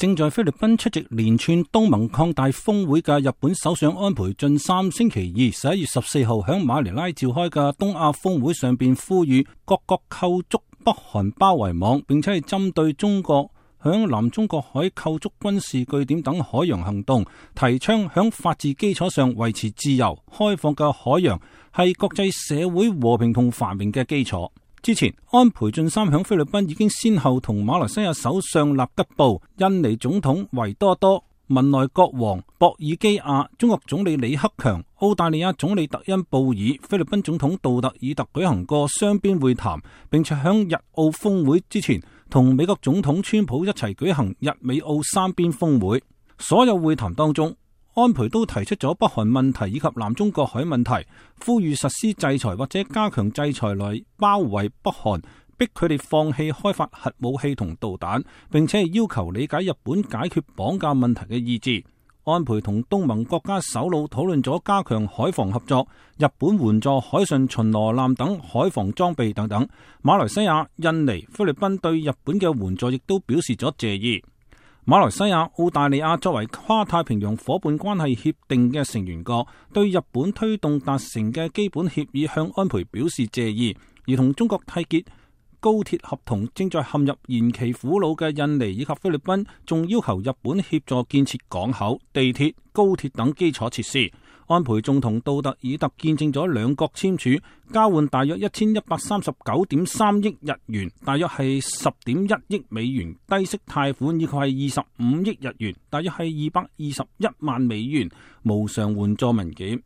正在菲律賓出席連串東盟擴大峰會嘅日本首相安倍晉三星期二11月14號響馬尼拉召開嘅東亞峰會上邊呼籲各國構築北韓包圍網，並且係針對中國響南中國海構築軍事據點等海洋行動，提倡響法治基礎上維持自由開放嘅海洋係國際社會和平同繁榮嘅基礎。之前，安倍晉三響菲律賓已經先後同馬來西亞首相納吉布、印尼總統維多多、文萊國王博爾基亞、中國總理李克強、澳大利亞總理特恩布爾、菲律賓總統杜特爾特舉行過雙邊會談，並且響日澳峰會之前同美國總統川普一齊舉行日美澳三邊峰會。所有會談當中，安倍都提出咗北韓問題以及南中國海問題，呼籲實施制裁或者加強制裁來包圍北韓，逼佢哋放棄開發核武器同導彈，並且要求理解日本解決綁架問題嘅意志。安倍同東盟國家首腦討論咗加強海防合作，日本援助海上巡邏艦等海防裝備等等。馬來西亞、印尼、菲律賓對日本嘅援助亦都表示咗謝意。馬來西亞、澳大利亞作為跨太平洋夥伴關係協定嘅成員國，對日本推動達成嘅基本協議向安倍表示謝意。而同中國締結高鐵合同正在陷入延期苦惱嘅印尼以及菲律賓，仲要求日本協助建設港口、地鐵、高鐵等基礎設施。安倍仲同杜特爾特見證咗兩國簽署交換大約1139.3億日元，大約係10.1億美元低息貸款，以及係25億日元，大約係221萬美元無償援助文件。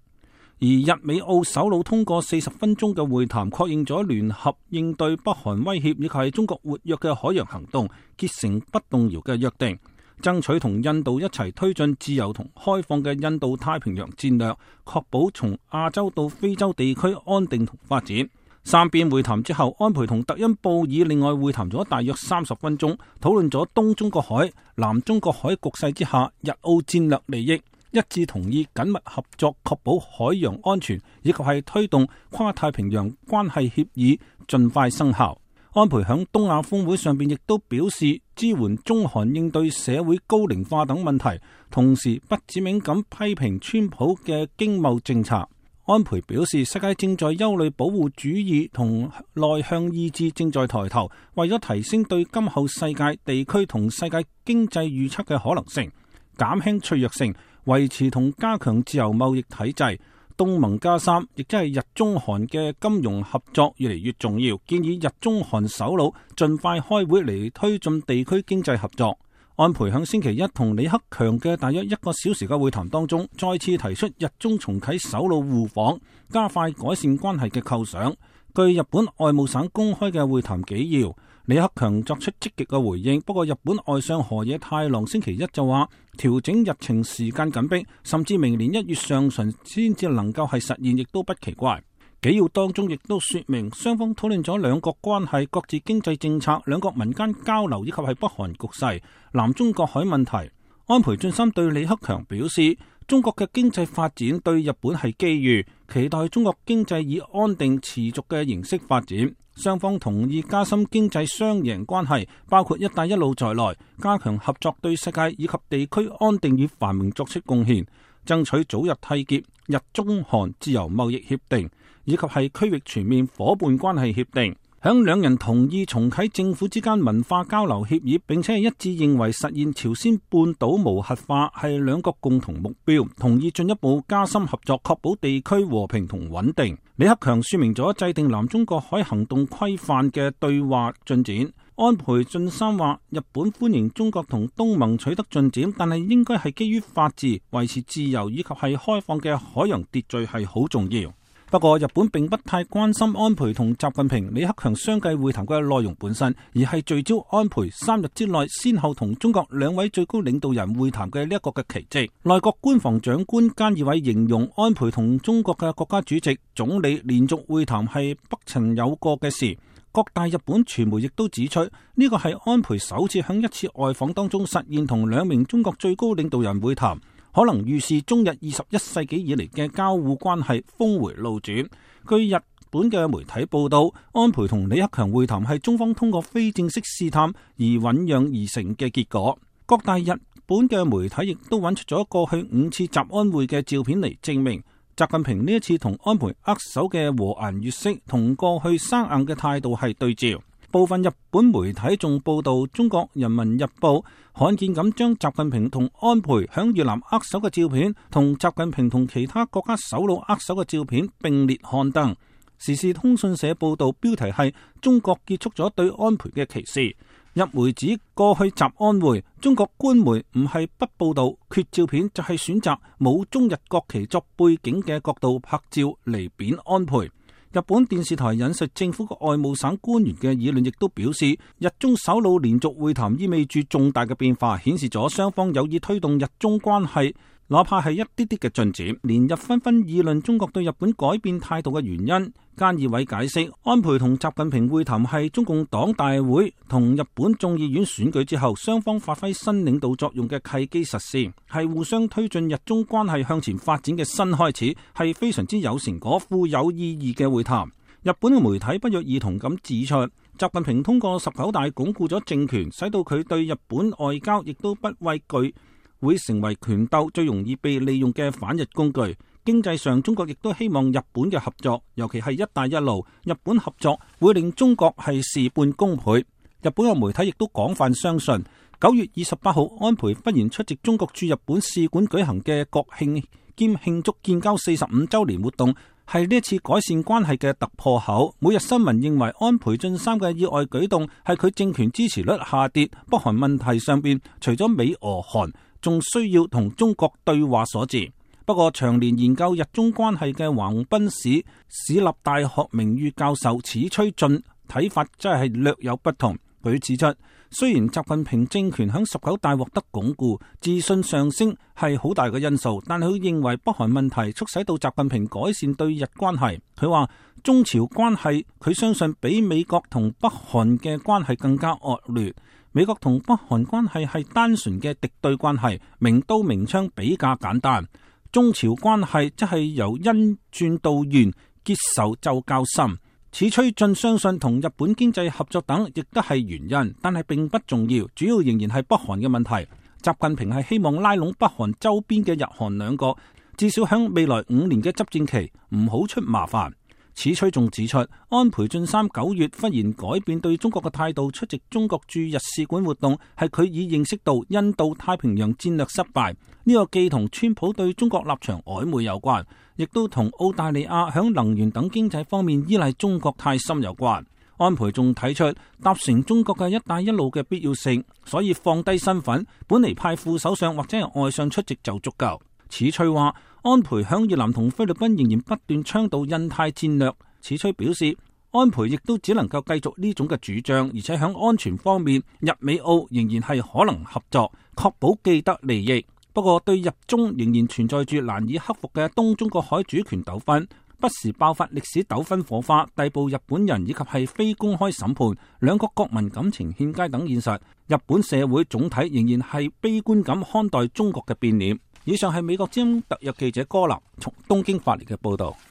而日美澳首腦通過40分鐘嘅會談，確認咗聯合應對北韓威脅以及係中國活躍嘅海洋行動，結成不動搖嘅約定，爭取同印度一齊推進自由同開放嘅印度太平洋戰略，確保從亞洲到非洲地區安定同發展。三邊會談之後，安倍同特恩布爾另外會談咗大約30分鐘，討論咗東中國海、南中國海局勢之下日澳戰略利益，一致同意緊密合作，確保海洋安全，以及係推動跨太平洋關係協議盡快生效。安倍響東亞峰會上邊亦都表示支援中韓應對社會高齡化等問題，同時不指名咁批評川普嘅經貿政策。安倍表示，世界正在憂慮保護主義同內向意志正在抬頭，為咗提升對今後世界地區同世界經濟預測嘅可能性，減輕脆弱性，維持同加強自由貿易體制，東盟+3，亦即係日中韓嘅金融合作越嚟越重要，建議日中韓首腦盡快開會嚟推進地區經濟合作。安倍響星期一同李克強嘅大約1個小時嘅會談當中，再次提出日中重啟首腦互訪，加快改善關係嘅構想。據日本外務省公開嘅會談紀要，李克強作出積極嘅回應，不過日本外相河野太郎星期一就話調整日程時間緊迫，甚至明年1月上旬先至能夠係實現，亦都不奇怪。紀要當中亦都說明雙方討論咗兩國關係、各自經濟政策、兩國民間交流以及係北韓局勢、南中國海問題。安倍晉三對李克強表示，中國嘅經濟發展對日本係機遇，期待中國經濟以安定持續嘅形式發展。雙方同意加深經濟雙贏關係，包括一帶一路在內，加強合作對世界以及地區安定與繁榮作出貢獻，爭取早日締結日中韓自由貿易協定，以及係區域全面夥伴關係協定。響兩人同意重啟政府之間文化交流協議，並且係一致認為實現朝鮮半島無核化係兩國共同目標，同意進一步加深合作，確保地區和平同穩定。李克強說明咗制定南中國海行動規範嘅對話進展。安倍晉三話，日本歡迎中國同東盟取得進展，但係應該係基於法治、維持自由以及係開放嘅海洋秩序係好重要。不過日本並不太關心安倍同習近平、李克強相繼會談嘅內容本身，而係聚焦安倍3日之內先後同中國2位最高領導人會談嘅呢一個嘅奇蹟。內閣官房長官菅義偉形容安倍同中國嘅國家主席、總理連續會談係不曾有過嘅事。各大日本傳媒亦都指出，呢個係安倍首次喺一次外訪當中實現同2名中國最高領導人會談，可能預示中日21世紀以嚟嘅交互關係峰回路轉。據日本嘅媒體報道，安倍同李克強會談係中方通過非正式試探而醞釀而成嘅結果。各大日本嘅媒體亦都揾出咗過去5次習安會嘅照片嚟證明，習近平呢一次同安倍握手嘅和顏悅色，同過去生硬嘅態度係對照。部分日本媒體仲報道，《中國人民日報》罕見咁將習近平同安倍響越南握手嘅照片，同習近平同其他國家首腦握手嘅照片並列刊登。時事通訊社報道，標題係中國結束咗對安倍嘅歧視。日媒指過去習安會，中國官媒唔係不報道缺照片，就係選擇冇中日國旗作背景嘅角度拍照嚟貶安倍。日本電視台引述政府嘅外務省官員嘅議論，亦都表示，日中首腦連續會談意味住重大嘅變化，顯示咗雙方有意推動日中關係，哪怕係一啲啲嘅進展。連日紛紛議論中國對日本改變態度嘅原因。菅義偉解釋，安倍同習近平會談係中共黨大會同日本眾議院選舉之後，雙方發揮新領導作用嘅契機實施，係互相推進日中關係向前發展嘅新開始，係非常之有成果、富有意義嘅會談。日本嘅媒體不約而同咁指出，習近平通過19大鞏固咗政權，使到佢對日本外交亦都不畏懼，會成為權鬥最容易被利用嘅反日工具。經濟上，中國亦都希望日本嘅合作，尤其係一帶一路，日本合作會令中國係事半功倍。日本嘅媒體亦都廣泛相信，9月28號安倍忽然出席中國駐日本使館舉行嘅國慶兼慶祝建交45週年活動，係呢一次改善關係嘅突破口。每日新聞認為安倍晉三嘅意外舉動係佢政權支持率下跌，北韓問題上邊除咗美俄韓，仲需要同中國對話所致。不過，長年研究日中關係嘅橫濱市市立大學名譽教授矢吹俊睇法真係略有不同。佢指出，雖然習近平政權響19大獲得鞏固，自信上升係好大嘅因素，但係佢認為北韓問題促使到習近平改善對日關係。佢話中朝關係，佢相信比美國同北韓嘅關係更加惡劣。美國同北韓關係係單純嘅敵對關係，明刀明槍比較簡單。中朝關係則係由恩轉到怨，結仇就較深。矢吹俊相信同日本經濟合作等亦都係原因，但係並不重要，主要仍然係北韓嘅問題。習近平係希望拉攏北韓周邊嘅日韓兩個，至少響未來5年嘅執政期唔好出麻煩。矢吹仲指出，安倍晉三9月忽然改變對中國嘅態度，出席中國駐日使館活動，係佢已認識到印度太平洋戰略失敗。呢個既同川普對中國立場曖昧有關，亦都同澳大利亞響能源等經濟方面依賴中國太深有關。安倍仲睇出搭乘中國嘅一帶一路嘅必要性，所以放低身份，本嚟派副首相或者係外相出席就足夠。矢吹話，安倍響越南同菲律賓仍然不斷倡導印太戰略。矢吹表示，安倍亦都只能夠繼續呢種嘅主張，而且響安全方面，日美澳仍然係可能合作，確保既得利益。不過對日中仍然存在住難以克服嘅東中國海主權糾紛，不時爆發歷史糾紛火花，逮捕日本人以及係非公開審判，兩國國民感情欠佳等現實，日本社會總體仍然係悲觀咁看待中國嘅變臉。以上係美國之音特約記者柯立從東京發嚟嘅報道。